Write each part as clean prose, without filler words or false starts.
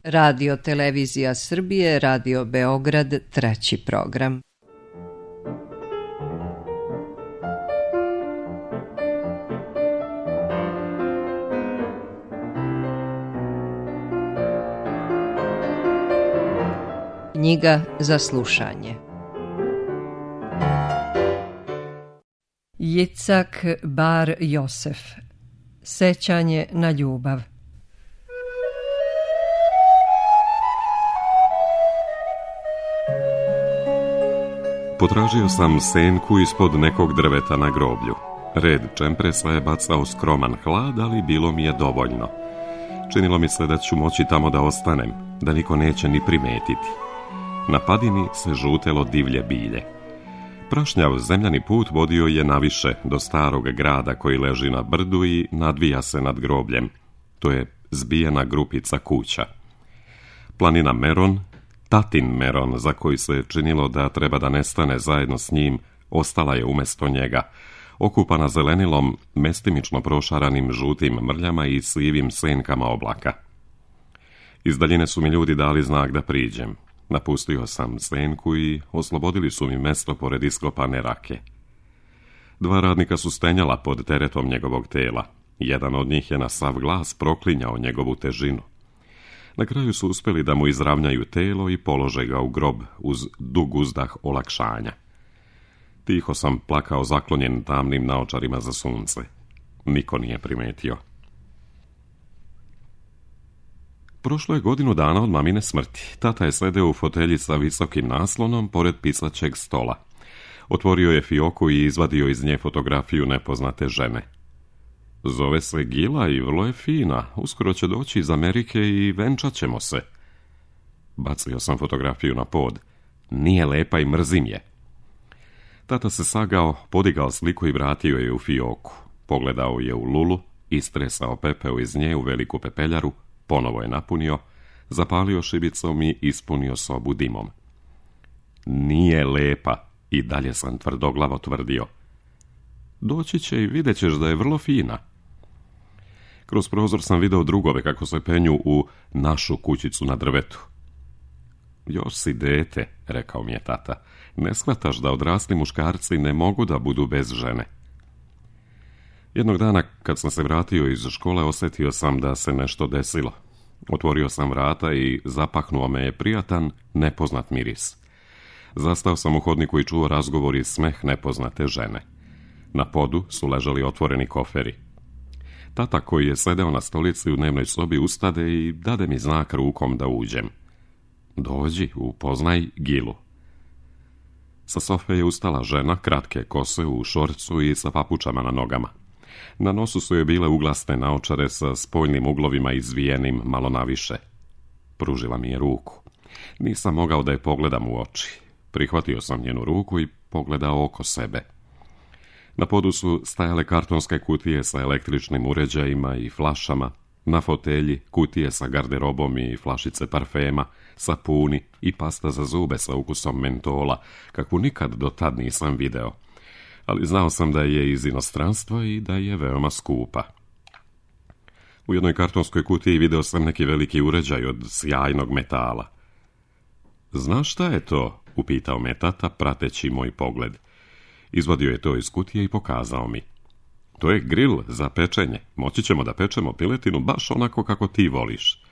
Radio Televizija Srbije, Radio Beograd, 3. program. Knjiga za slušanje. Jicak Bar Josef. Sećanje na ljubav. Potražio sam senku ispod nekog drveta na groblju. Red čempresa je bacao skroman hlad, ali bilo mi je dovoljno. Činilo mi se da ću moći tamo da ostanem, da niko neće ni primetiti. Na padini se žutelo divlje bilje. Prašnjav zemljani put vodio je naviše do starog grada koji leži na brdu i nadvija se nad grobljem. To je zbijena grupica kuća. Planina Meron, tatin Meron, za koji se činilo da treba da nestane zajedno s njim, ostala je umjesto njega, okupana zelenilom, mestimično prošaranim žutim mrljama i sivim senkama oblaka. Iz daljine su mi ljudi dali znak da priđem. Napustio sam senku i oslobodili su mi mesto pored iskopane rake. 2 radnika su stenjala pod teretom njegovog tela. Jedan od njih je na sav glas proklinjao njegovu težinu. Na kraju su uspjeli da mu izravnjaju telo i polože ga u grob uz dug uzdah olakšanja. Tiho sam plakao zaklonjen tamnim naočarima za sunce. Niko nije primetio. Prošlo je 1 godinu dana od mamine smrti. Tata je sedeo u fotelji sa visokim naslonom pored pisaćeg stola. Otvorio je fioku i izvadio iz nje fotografiju nepoznate žene. Zove se Gila i vrlo je fina. Uskoro će doći iz Amerike i venčat ćemo se. Bacio sam fotografiju na pod. Nije lepa i mrzim je. Tata se sagao, podigao sliku i vratio je u fioku. Pogledao je u lulu, istresao pepeo iz nje u veliku pepeljaru, ponovo je napunio, zapalio šibicom i ispunio sobu dimom. Nije lepa, i dalje sam tvrdoglavo tvrdio. Doći će i vidjet ćeš da je vrlo fina. Kroz prozor sam video drugove kako se penju u našu kućicu na drvetu. Još si dete, rekao mi je tata. Ne shvataš da odrasli muškarci ne mogu da budu bez žene. Jednog dana, kad sam se vratio iz škole, osjetio sam da se nešto desilo. Otvorio sam vrata i zapahnuo me je prijatan, nepoznat miris. Zastao sam u hodniku i čuo razgovor i smeh nepoznate žene. Na podu su ležali otvoreni koferi. Tata, koji je sedeo na stolici u dnevnoj sobi, ustade i dade mi znak rukom da uđem. Dođi, upoznaj Gilu. Sa sofe je ustala žena, kratke kose u šorcu i sa papučama na nogama. Na nosu su joj bile uglasne naočare sa spoljnim uglovima izvijenim malo naviše. Pružila mi je ruku. Nisam mogao da je pogledam u oči. Prihvatio sam njenu ruku i pogledao oko sebe. Na podu su stajale kartonske kutije sa električnim uređajima i flašama, na fotelji kutije sa garderobom i flašice parfema, sapuni i pasta za zube sa ukusom mentola, kakvu nikad do tad nisam video. Ali znao sam da je iz inostranstva i da je veoma skupa. U jednoj kartonskoj kutiji video sam neki veliki uređaj od sjajnog metala. Znaš šta je to? Upitao me tata, prateći moj pogled. Izvadio je to iz kutije i pokazao mi. To je grill za pečenje. Moći ćemo da pečemo piletinu baš onako kako ti voliš.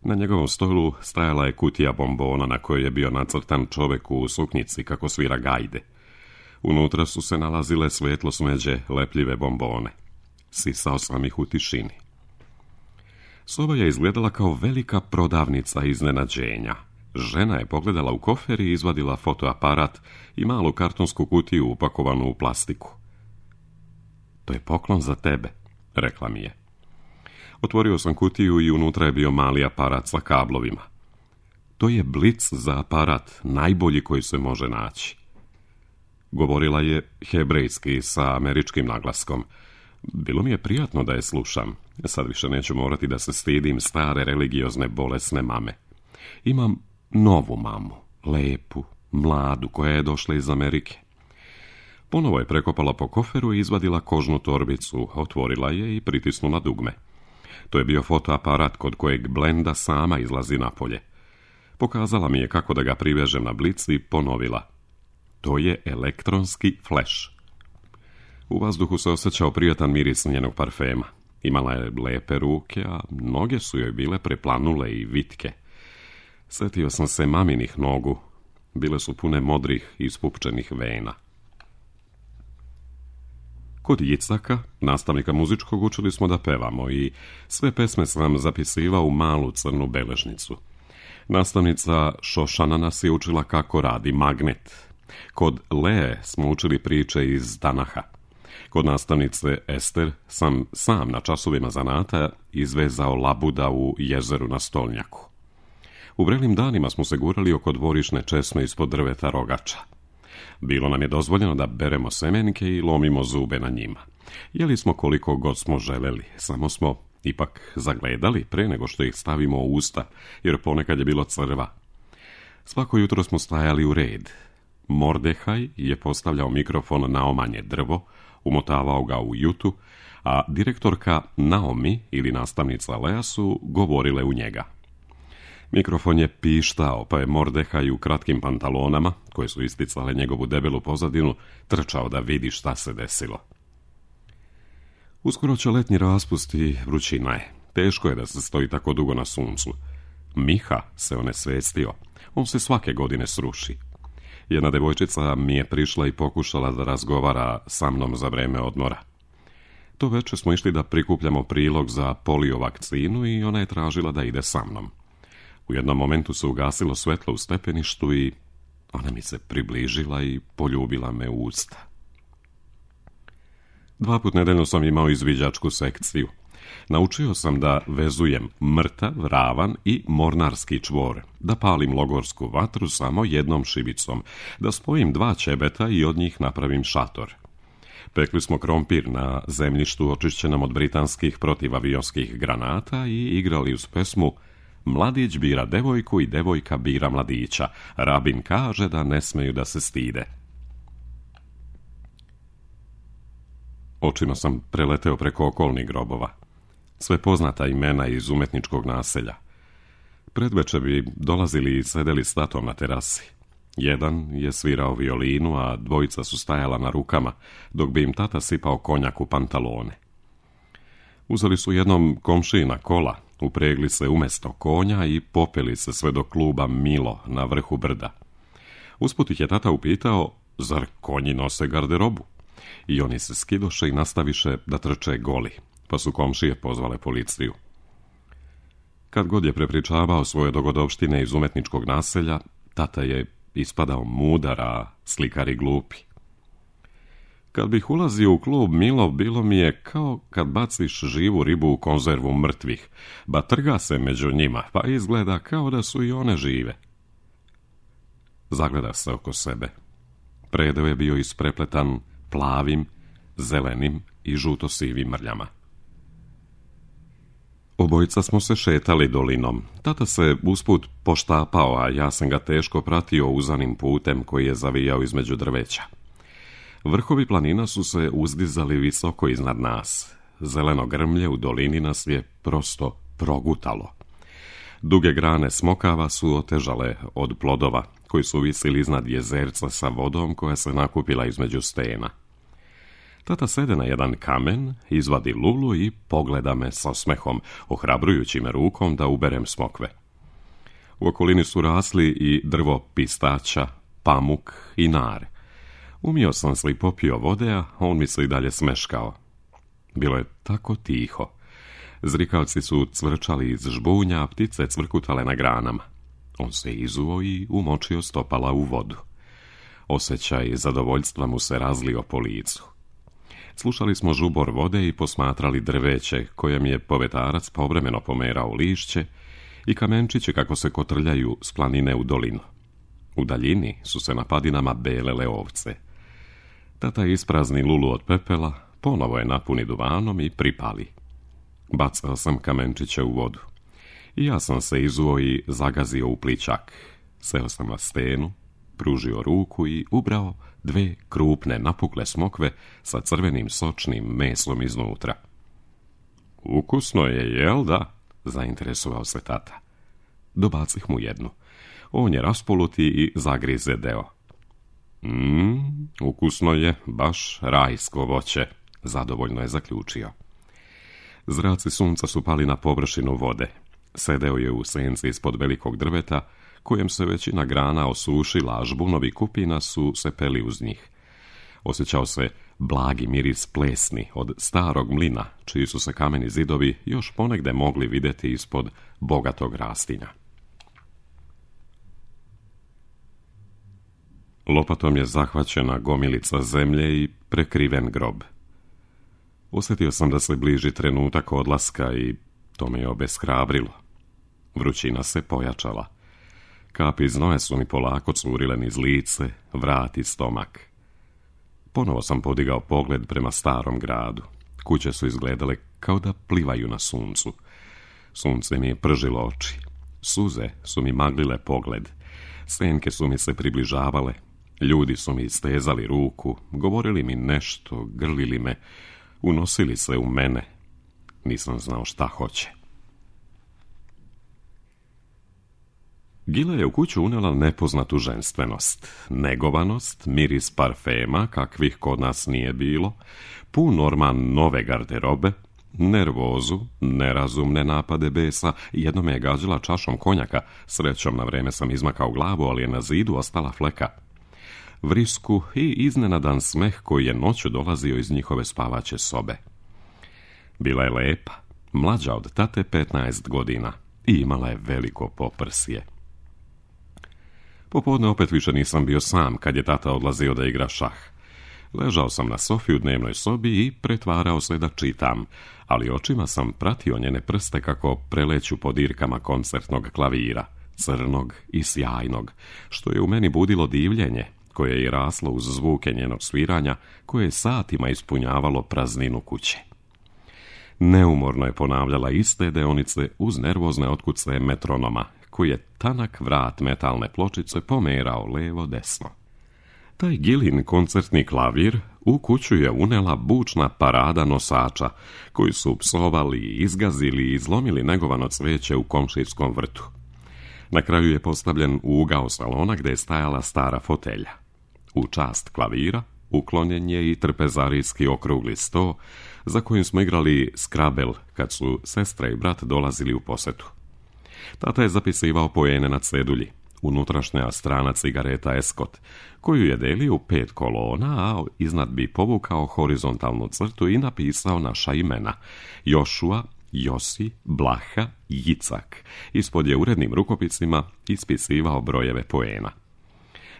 Na njegovom stolu stajala je kutija bombona na kojoj je bio nacrtan čovek u suknjici kako svira gajde. Unutra su se nalazile svetlo smeđe lepljive bombone. Sisao sam ih u tišini. Soba je izgledala kao velika prodavnica iznenađenja. Žena je pogledala u kofer i izvadila fotoaparat i malu kartonsku kutiju upakovanu u plastiku. To je poklon za tebe, rekla mi je. Otvorio sam kutiju i unutra je bio mali aparat sa kablovima. To je blic za aparat, najbolji koji se može naći. Govorila je hebrejski sa američkim naglaskom. Bilo mi je prijatno da je slušam. Sad više neću morati da se stidim stare religiozne bolesne mame. Imam novu mamu, lepu, mladu, koja je došla iz Amerike. Ponovo je prekopala po koferu i izvadila kožnu torbicu, otvorila je i pritisnula dugme. To je bio fotoaparat kod kojeg Blenda sama izlazi napolje. Pokazala mi je kako da ga privežem na blic i ponovila. To je elektronski flash. U vazduhu se osjećao prijatan miris njenog parfema. Imala je lepe ruke, a noge su joj bile preplanule i vitke. Sjetio sam se maminih nogu. Bile su pune modrih i ispupčenih vena. Kod Jicaka, nastavnika muzičkog, učili smo da pevamo i sve pesme sam zapisivao u malu crnu beležnicu. Nastavnica Šošana nas je učila kako radi magnet. Kod Lee smo učili priče iz Tanaha. Kod nastavnice Ester sam na časovima zanata izvezao labuda u jezeru na stolnjaku. U vrelim danima smo se gurali oko dvorišne česme ispod drveta rogača. Bilo nam je dozvoljeno da beremo semenke i lomimo zube na njima. Jeli smo koliko god smo želeli, samo smo ipak zagledali pre nego što ih stavimo u usta, jer ponekad je bilo crva. Svako jutro smo stajali u red. Mordehaj je postavljao mikrofon na omanje drvo, umotavao ga u jutu, a direktorka Naomi ili nastavnica Lea su govorile u njega. Mikrofon je pištao, pa je Mordehaj u kratkim pantalonama, koje su isticale njegovu debelu pozadinu, trčao da vidi šta se desilo. Uskoro će letnji raspust i vrućina je. Teško je da se stoji tako dugo na suncu. Miha se onesvestio. On se svake godine sruši. Jedna devojčica mi je prišla i pokušala da razgovara sa mnom za vreme odmora. To večer smo išli da prikupljamo prilog za polio vakcinu i ona je tražila da ide sa mnom. U jednom momentu se ugasilo svetlo u stepeništu i ona mi se približila i poljubila me u usta. 2 puta nedeljno sam imao izviđačku sekciju. Naučio sam da vezujem mrtav, ravan i mornarski čvor, da palim logorsku vatru samo jednom šibicom, da spojim 2 ćebeta i od njih napravim šator. Pekli smo krompir na zemljištu očišćenom od britanskih protivavionskih granata i igrali uz pesmu Mladić bira devojku i devojka bira mladića. Rabin kaže da ne smeju da se stide. Očima sam preleteo preko okolnih grobova. Sve poznata imena iz umetničkog naselja. Predveče bi dolazili i sedeli s tatom na terasi. Jedan je svirao violinu, a 2 su stajala na rukama, dok bi im tata sipao konjak u pantalone. Uzeli su jednom komšijina kola, upregli se umjesto konja i popeli se sve do kluba Milo na vrhu brda. Usput ih je tata upitao, zar konji nose garderobu? I oni se skidoše i nastaviše da trče goli, pa su komšije pozvale policiju. Kad god je prepričavao svoje dogodovštine iz umetničkog naselja, tata je ispadao mudar, a slikari glupi. Kad bih ulazio u klub Milo, bilo mi je kao kad baciš živu ribu u konzervu mrtvih, ba trga se među njima, pa izgleda kao da su i one žive. Zagleda se oko sebe. Predeo je bio isprepletan plavim, zelenim i žuto-sivim mrljama. Obojica smo se šetali dolinom. Tata se usput poštapao, a ja sam ga teško pratio uzanim putem koji je zavijao između drveća. Vrhovi planina su se uzdizali visoko iznad nas. Zeleno grmlje u dolini nas je prosto progutalo. Duge grane smokava su otežale od plodova, koji su visili iznad jezerca sa vodom koja se nakupila između stena. Tata sede na jedan kamen, izvadi lulu i pogleda me sa osmehom, ohrabrujući me rukom da uberem smokve. U okolini su rasli i drvo pistaća, pamuk i nar. Umio sam se i popio vode, a on mi se i dalje smeškao. Bilo je tako tiho. Zrikavci su cvrčali iz žbunja, a ptice cvrkutale na granama. On se izuo i umočio stopala u vodu. Osjećaj zadovoljstva mu se razlio po licu. Slušali smo žubor vode i posmatrali drveće, kojem je povetarac povremeno pomerao lišće i kamenčiće kako se kotrljaju s planine u dolinu. U daljini su se na padinama belele ovce. Tata isprazni lulu od pepela, ponovo je napuni duvanom i pripali. Bacao sam kamenčiće u vodu. I ja sam se izuo i zagazio u plićak. Seo sam na stenu, pružio ruku i ubrao 2 krupne napukle smokve sa crvenim sočnim meslom iznutra. Ukusno je, jel da? Zainteresovao se tata. Dobacih mu jednu. On je raspoluti i zagrize deo. Ukusno je, baš rajsko voće, zadovoljno je zaključio. Zraci sunca su pali na površinu vode. Sedeo je u senci ispod velikog drveta, kojem se većina grana osušila, a žbunovi kupina su se peli uz njih. Osjećao se blagi miris plesni od starog mlina, čiji su se kameni zidovi još ponegde mogli vidjeti ispod bogatog rastinja. Lopatom je zahvaćena gomilica zemlje i prekriven grob. Osjetio sam da se bliži trenutak odlaska i to me je obeshrabrilo. Vrućina se pojačala. Kapi znoja su mi polako curile niz lice, vrat i stomak. Ponovo sam podigao pogled prema starom gradu. Kuće su izgledale kao da plivaju na suncu. Sunce mi je pržilo oči. Suze su mi maglile pogled. Senke su mi se približavale. Ljudi su mi istezali ruku, govorili mi nešto, grlili me, unosili se u mene. Nisam znao šta hoće. Gila je u kuću unela nepoznatu ženstvenost, negovanost, miris parfema, kakvih kod nas nije bilo, pun orman nove garderobe, nervozu, nerazumne napade besa, jedno me je gađala čašom konjaka, srećom na vreme sam izmakao glavu, ali je na zidu ostala fleka. Vrisku i iznenadan smeh koji je noću dolazio iz njihove spavaće sobe. Bila je lepa, mlađa od tate 15 godina i imala je veliko poprsje. Popodne opet više nisam bio sam kad je tata odlazio da igra šah. Ležao sam na sofi u dnevnoj sobi i pretvarao se da čitam, ali očima sam pratio njene prste kako preleću po dirkama koncertnog klavira, crnog i sjajnog, što je u meni budilo divljenje, koje je i raslo uz zvuke njenog sviranja, koje je satima ispunjavalo prazninu kuće. Neumorno je ponavljala iste deonice uz nervozne otkuce metronoma, koji je tanak vrat metalne pločice pomerao levo-desno. Taj Gilin koncertni klavir u kuću je unela bučna parada nosača, koji su psovali, izgazili i izlomili negovano cveće u komšijskom vrtu. Na kraju je postavljen u ugao salona gdje je stajala stara fotelja. U čast klavira uklonjen je i trpezarijski okrugli sto, za kojim smo igrali skrabel kad su sestra i brat dolazili u posetu. Tata je zapisivao poene na cedulji, unutrašnja strana cigareta Eskot, koju je delio u 5 kolona, a iznad bi povukao horizontalnu crtu i napisao naša imena: Jošua, Josi, Blaha, Jicak. Ispod je urednim rukopisima ispisivao brojeve poena.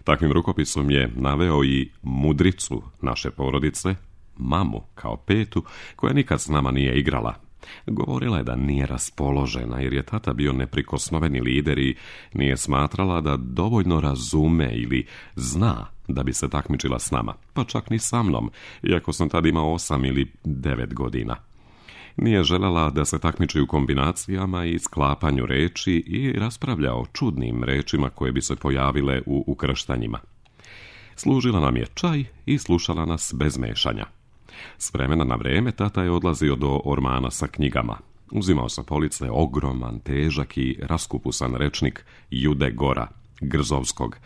Takvim rukopisom je naveo i mudricu naše porodice, mamu kao petu, koja nikad s nama nije igrala. Govorila je da nije raspoložena jer je tata bio neprikosnoveni lider i nije smatrala da dovoljno razume ili zna da bi se takmičila s nama, pa čak ni sa mnom, iako sam tad imao 8 ili 9 godina. Nije željela da se takmiči u kombinacijama i sklapanju reči i raspravlja o čudnim rečima koje bi se pojavile u ukrštanjima. Služila nam je čaj i slušala nas bez mešanja. S vremena na vrijeme tata je odlazio do ormana sa knjigama. Uzimao sa police ogroman, težak i raskupusan rečnik Jude Gora, Grzovskog.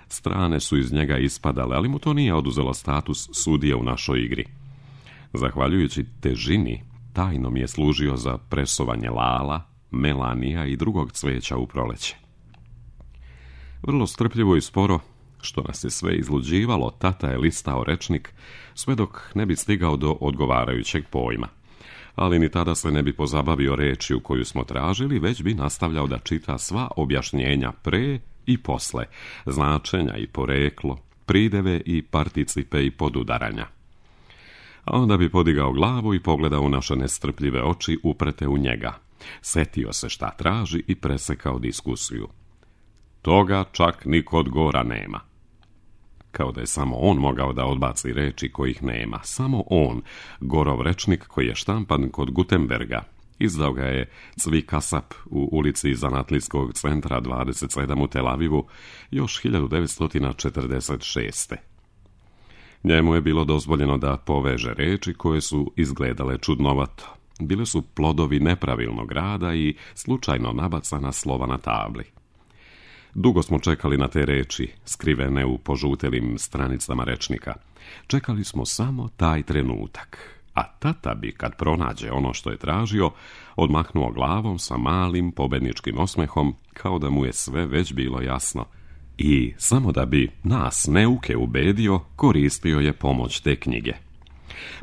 Strane su iz njega ispadale, ali mu to nije oduzelo status sudije u našoj igri. Zahvaljujući težini, tajno mi je služio za presovanje lala, melanija i drugog cveća u proleće. Vrlo strpljivo i sporo, što nas je sve izluđivalo, tata je listao rečnik, sve dok ne bi stigao do odgovarajućeg pojma. Ali ni tada se ne bi pozabavio rečju koju smo tražili, već bi nastavljao da čita sva objašnjenja pre i posle, značenja i poreklo, prideve i participe i podudaranja. A onda bi podigao glavu i pogledao u naše nestrpljive oči uprete u njega. Setio se šta traži i presekao diskusiju. Toga čak ni kod Gora nema. Kao da je samo on mogao da odbaci reči kojih nema. Samo on, Gorov rečnik koji je štampan kod Gutenberga. Izdao ga je Cvi Kasap u ulici Zanatlijskog centra 27 u Tel Avivu još 1946. Njemu je bilo dozvoljeno da poveže reči koje su izgledale čudnovato. bile su plodovi nepravilnog rada i slučajno nabacana slova na tabli. Dugo smo čekali na te reči, skrivene u požutelim stranicama rečnika. Čekali smo samo taj trenutak, a tata bi, kad pronađe ono što je tražio, odmahnuo glavom sa malim pobedničkim osmehom, kao da mu je sve već bilo jasno. I, samo da bi nas neuke ubedio, koristio je pomoć te knjige.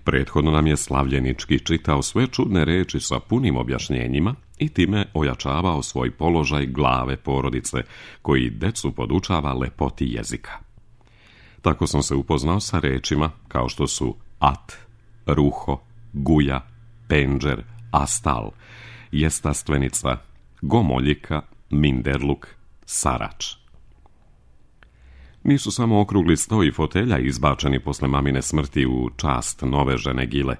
Prethodno nam je slavljenički čitao sve čudne reči sa punim objašnjenjima i time ojačavao svoj položaj glave porodice, koji decu podučava lepoti jezika. Tako sam se upoznao sa rečima kao što su at, ruho, guja, penđer, astal, jestastvenica, gomoljika, minderluk, sarač. Nisu samo okrugli sto i fotelja izbačeni posle mamine smrti u čast nove žene Gile,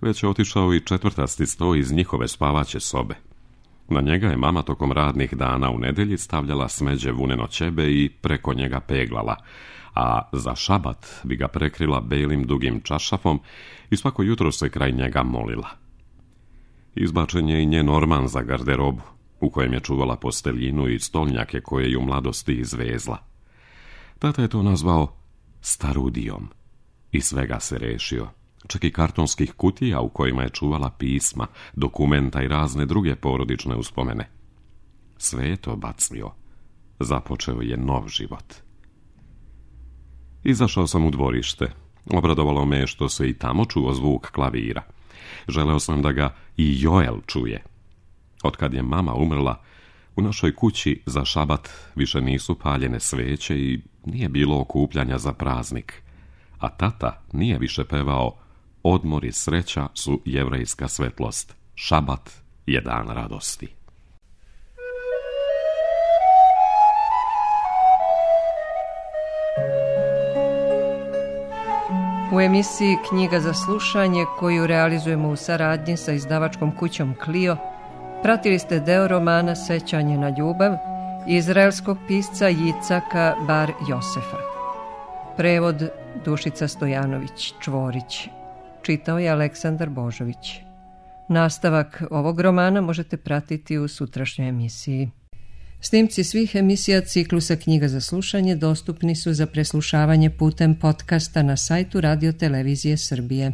već je otišao i 4. sto iz njihove spavaće sobe. Na njega je mama tokom radnih dana u nedelji stavljala smeđe vuneno ćebe i preko njega peglala, a za šabat bi ga prekrila belim dugim čašafom i svako jutro se kraj njega molila. Izbačen je i njen orman za garderobu, u kojem je čuvala posteljinu i stolnjake koje je u mladosti izvezla. Tata je to nazvao starudijom i svega se rešio, čak i kartonskih kutija u kojima je čuvala pisma, dokumenta i razne druge porodične uspomene. Sve je to bacio. Započeo je nov život. Izašao sam u dvorište. Obradovalo me što se i tamo čuo zvuk klavira. Želeo sam da ga i Joel čuje. Otkad je mama umrla, u našoj kući za šabat više nisu paljene sveće i nije bilo okupljanja za praznik. A tata nije više pevao odmor i sreća su jevrejska svetlost. Šabat je dan radosti. U emisiji Knjiga za slušanje, koju realizujemo u saradnji sa izdavačkom kućom Clio, pratili ste deo romana Sećanje na ljubav izraelskog pisca Jicaka Bar Josefa. Prevod Dušica Stojanović Čvorić. Čitao je Aleksandar Božović. Nastavak ovog romana možete pratiti u sutrašnjoj emisiji. Snimci svih emisija ciklusa Knjiga za slušanje dostupni su za preslušavanje putem podcasta na sajtu Radio Televizije Srbije.